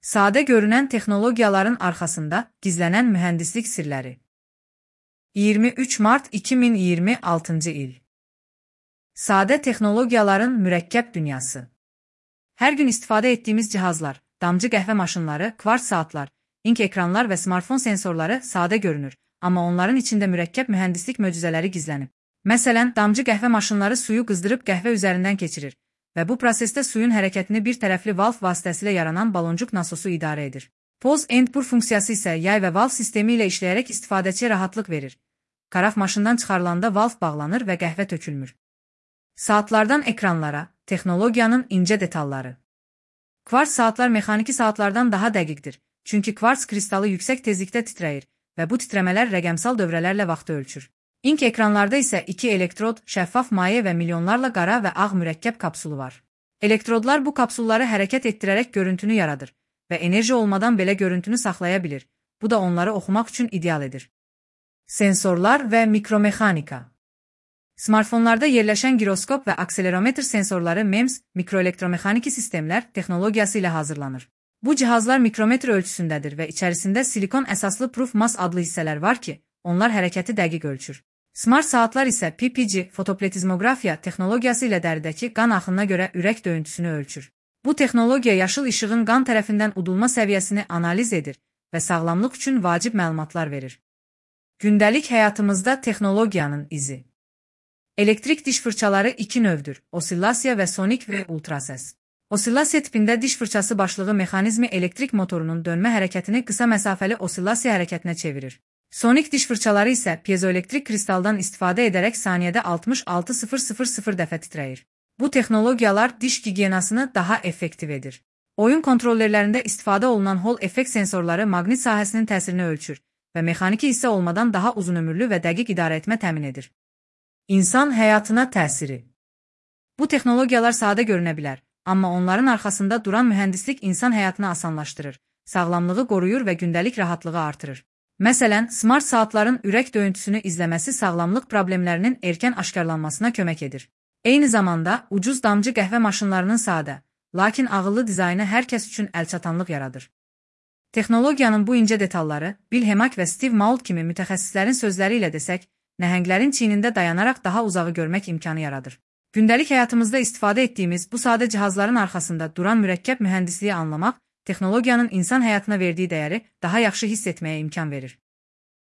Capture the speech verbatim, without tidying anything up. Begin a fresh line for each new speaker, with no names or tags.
Sadə görünən texnologiyaların arxasında gizlənən mühəndislik sirləri. iyirmi üç mart iki min iyirmi altıncı il. Sadə texnologiyaların mürəkkəb dünyası. Hər gün istifadə etdiyimiz cihazlar, damcı qəhvə maşınları, kvarts saatlar, ink ekranlar və smartfon sensorları sadə görünür, amma onların içində mürəkkəb mühəndislik möcüzələri gizlənib. Məsələn, damcı qəhvə maşınları suyu qızdırıb qəhvə üzərindən keçirir və bu prosesdə suyun hərəkətini bir tərəfli valv vasitəsilə yaranan baloncuq nasosu idarə edir. Pause and pour funksiyası isə yay və valv sistemi ilə işləyərək istifadəçiyə rahatlıq verir. Qaraf maşından çıxarılanda valv bağlanır və qəhvə tökülmür. Saatlardan ekranlara, texnologiyanın incə detalları. Kvarts saatlar mexaniki saatlardan daha dəqiqdir, çünki kvarts kristalı yüksək tezlikdə titrəyir və bu titrəmələr rəqəmsal dövrələrlə vaxtı ölçür. İnk ekranlarda isə iki elektrod, şəffaf maye və milyonlarla qara və ağ mürəkkəb kapsulu var. Elektrodlar bu kapsulları hərəkət etdirərək görüntünü yaradır və enerji olmadan belə görüntünü saxlaya bilir. Bu da onları oxumaq üçün ideal edir. Sensorlar və mikromexanika. Smartfonlarda yerləşən giroskop və akselerometr sensorları M E M S, mikroelektromexaniki sistemlər texnologiyası ilə hazırlanır. Bu cihazlar mikrometr ölçüsündədir və içərisində silikon əsaslı proof mass adlı hissələr var ki, onlar hərəkəti dəqiq ölçür. Smart saatlar isə P P G, fotopletizmografiya texnologiyası ilə dəridəki qan axınına görə ürək döyüntüsünü ölçür. Bu texnologiya yaşıl işığın qan tərəfindən udulma səviyyəsini analiz edir və sağlamlıq üçün vacib məlumatlar verir. Gündəlik həyatımızda texnologiyanın izi. Elektrik diş fırçaları iki növdür: osillasiya və sonik və ultrasəs. Osillasiya tipində diş fırçası başlığı mexanizmi elektrik motorunun dönmə hərəkətini qısa məsafəli osillasiya hərəkətinə çevirir. Sonik diş fırçaları isə piezoelektrik kristaldan istifadə edərək saniyədə altmış altı min dəfə titrəyir. Bu texnologiyalar diş gigiyenasını daha effektiv edir. Oyun kontrollerlərində istifadə olunan Hall effekt sensorları maqnit sahəsinin təsirini ölçür və mexaniki hissə olmadan daha uzun ömürlü və dəqiq idarə etmə təmin edir. İnsan həyatına təsiri. Bu texnologiyalar sadə görünə bilər, amma onların arxasında duran mühəndislik insan həyatını asanlaşdırır, sağlamlığı qoruyur və gündəlik rahatlığı artırır. Məsələn, smart saatların ürək döyüntüsünü izləməsi sağlamlıq problemlərinin erkən aşkarlanmasına kömək edir. Eyni zamanda, ucuz damcı qəhvə maşınlarının sadə, lakin ağıllı dizaynı hər kəs üçün əlçatanlıq yaradır. Texnologiyanın bu incə detalları, Bill Hemmack və Steve Mault kimi mütəxəssislərin sözləri ilə desək, nəhənglərin çiynində dayanaraq daha uzağı görmək imkanı yaradır. Gündəlik həyatımızda istifadə etdiyimiz bu sadə cihazların arxasında duran mürəkkəb mühəndisliyi anlamaq, texnologiyanın insan həyatına verdiyi dəyəri daha yaxşı hiss etməyə imkan verir.